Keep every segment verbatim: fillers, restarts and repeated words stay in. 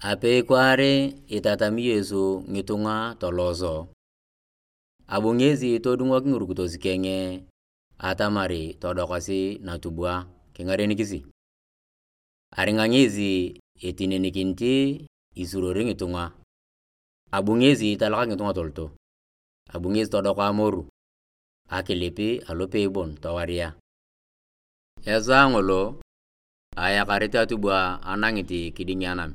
Apei kwaar itatami Yesu ngitunga toloso, abu ngesi todungok ngirukitos keng atamar todokosi natubwa kingarenikisi. Aringa ngesi etinenikinit isuruori ngitunga, abu ngesi talaka ngitunga toloto, abu ngesi todok amoru, akilip alopei bon towaria. Esaa ngolo, ayakarit atubwa anangit kiding anam,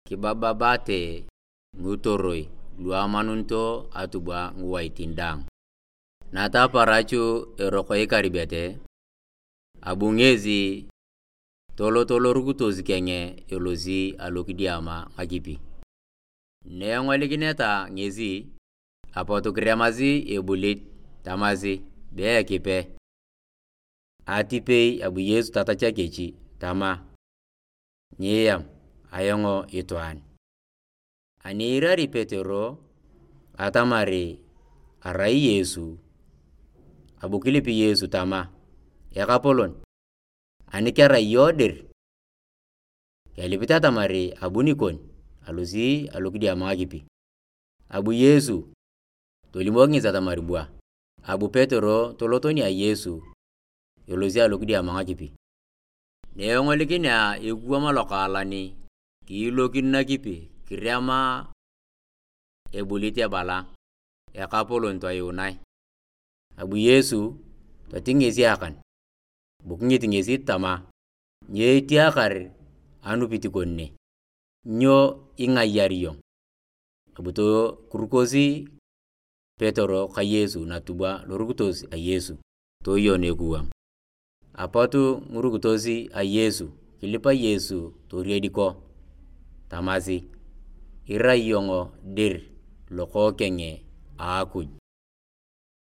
kibababate ngitoroi lu amanunito atubwa ngiwaitin daang. Nataparachu eroko ikaribete, abu ngesi tolot lorukitos keng elosi alokidiama ngakipi. Na engolikineta ngesi, apot kiremasi ebulit tamasi, be Ekipe, atipei. Abu Yesu tatachak kech tama, nyiiam ayong itwaan. Ani iirari Petero atamar arai Yesu, abu kilip Yesu tama, Ekapolon, ani kerai iyong dir, kelipit atamar abuni kon alosi alokidiama ngakipi. Abu Yesu tolimok ngesi atamar bua. Abu Petero tolot nia Yesu elosi alokidiama ngakipi. Na engolikinea ekuwam lokaalan, kiilokin nakipi kirema ebulit ebala, Ekapolon, toyuunae. Abu Yesu toting ngesi akan, bu kingit ngesi tama, nyo etiakar anupit kon ne? Nyo ingayar iyong? Abu tokurukosi Petero ka Yesu natubwa lorukitos a Yesu, toyon ekuwam. Apot ngirukitos a Yesu kilipa Yesu toriediko tamasi, irai iyong dir Lokookeng a Akuj.